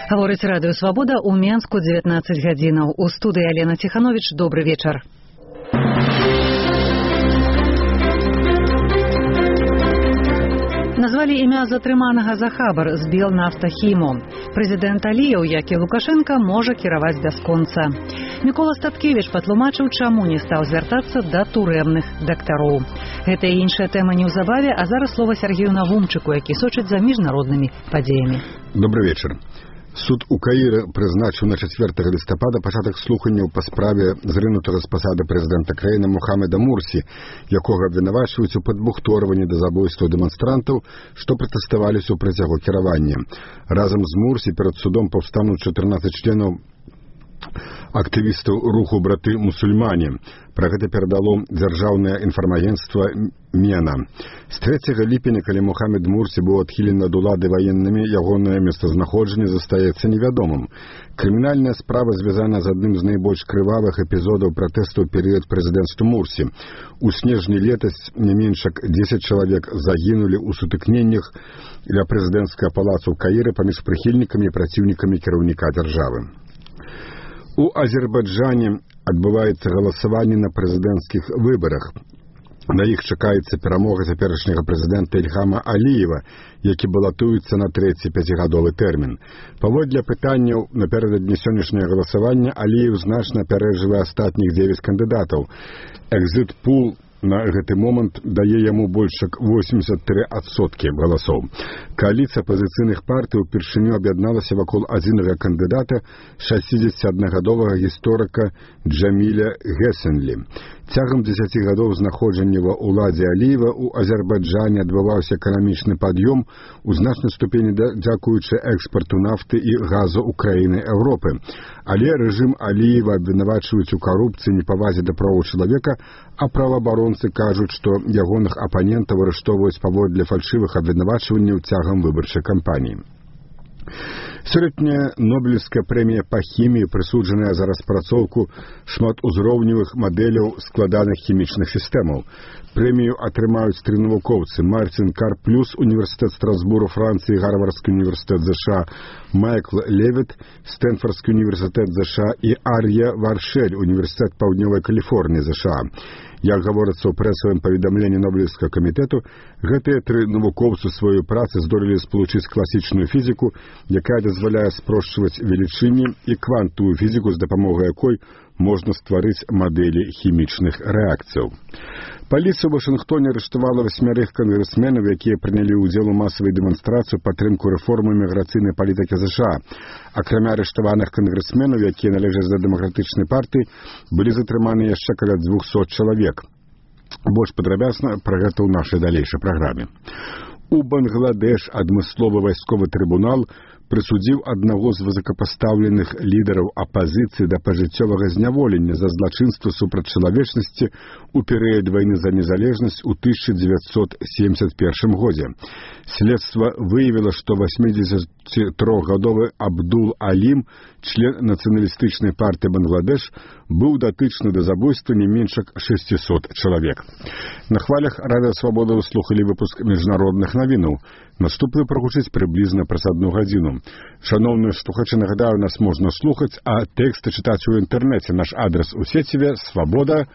Гаворыць радыё «Свабода» ў Менску 19 гадзінаў. У студыі Алена Ціхановіч. Добры вечар. Назвалі імя затрыманага за хабар з Белнафтахіму. Прэзідэнт Аліеў, як і Лукашенка, можа кіраваць бясконца. Мікола Статкевіч патлумачыў, чаму не стаў звяртацца да турэмных дактароў. Гэта і іншая тэма неўзабаве, а зараз слова Сергею Навумчыку, які сочыць за міжнароднымі падзеямі. Добрый вечар. Суд у Каіры прызначыў на 4 лістапада пачатак слуханняў па справе зрынутага з пасады прэзідэнта краіны Мухаммеда Мурсі, якога абвінавачваюць у падбухторванні да забойстваў дэманстрантаў, што пратэставалі супраць яго кіравання. Разам з Мурсі перад судом паўстануць 14 членаў актывістаў руху «Браты мусульмане». Пра гэта перадало дзяржаўнае інфармагенцтва МЕНА. З 3 ліпеня, калі Мухаммед Мурсі быў адхілены ад улады ваеннымі, ягонае месцазнаходжанне застаецца невядомым. Крымінальная справа звязана з адным з найбольш крывавых эпізодаў пратэсту ў перыяд прэзідэнцтва Мурсі. У снежні летась не менш як 10 чалавек загінулі ў сутыкненнях ля прэзідэнцкага палацу ў Каіры паміж прыхільнікамі і праціўнікамі кіраўніка дзяржавы. У Азербайджане адбываецца галасаванне на прэзідэнцкіх выбарах. На іх чакаецца перамога цяперашняга прэзідэнта Ільхама Аліева, які балатуецца на 3-й 5-гадовы тэрмін. Паводле пытанняў напярэдадні сённяшняга галасавання Аліеў значна апярэджвае астатніх 9 кандыдатаў. Экзіт-пул на гэты момант дае яму больш як 83% галасоў. Кааліцыя апазіцыйных партый упершыню аб'ядналася вакол адзінага кандыдата, 61-гадовага гісторыка Джаміля Гесенлі. Цягам 10 гадоў знаходжання ва ўладзе Аліева у Азербайджане адбываўся эканамічны пад'ём у значнай ступені дзякуючы экспарту нафты і газу ў краіны Еўропы. Але рэжым Аліева абвінавачваюць у карупцыі, непавазе да правоў чалавека, а праваабаронцы кажуць, што ягоных апанентаў арыштоўваюць паводле фальшывых абвінавачванняў цягам выбарчай кампаніі. Сёлетняя Нобелевская прэмія па хіміі прысуджаная за распрацоўку шматузроўневых мадэляў складаных хімічных сістэмаў. Прэмію атрымаюць 3 навукоўцы: Мартин Карплюс, універсітэт Страсбуру, Францыі, Гарвардскі універсітэт ЗША, Майкл Левіт, Стэнфордскі універсітэт ЗША і Ар'я Варшэль, універсітэт Паўднёвай Каліфорніі ЗША. Як гаворыцца ў прэсавым паведамленні Нобелевскага камітэту, гэтыя 3 навукоўцы сваёй працы здолелі спалучыць класічную фізіку, якая дазваляе спрошчваць велічыні, і квантавую фізіку, з дапамогай якой можна стварыць мадэлі хімічных рэакцыяў. Паліцыя ў Вашынгтоне арыштавала 8 кангрэсменаў, якія прынялі ўдзел у масавай дэманстрацыі падтрымку рэформы міграцыйнай палітыкі ЗША. Акрамя арыштаваных кангрэсменаў, якія належаць да дэмакратычнай партыі, былі затрыманы яшчэ каля 200 чалавек. Больш падрабязна пра гэта ў нашай далейшай праграме. У Бангладеш адмысловы вайсковы трыбунал прысудзіў аднаго з высокапастаўленых лідараў апазіцыі да пажыццёвага зняволення за злачынства супраць чалавечнасці ў перыяд вайны за незалежнасць у 1971 годзе. Следства выявіла, што 83-гадовы Абдул Алім, член нацыяналістычнай партыі Бангладеш, быў датычны да забойства не менш як 600 чалавек. На хвалях радыё «Свабода» вы слухалі выпуск міжнародных навінаў. Наступны прагучыць прыблізна праз 1 гадзіну. Шаноўныя слухачы, нагадаю, нас можна слухаць, а тэксты чытаць у інтэрнэце. Наш адрас у сеціве свабода.орг.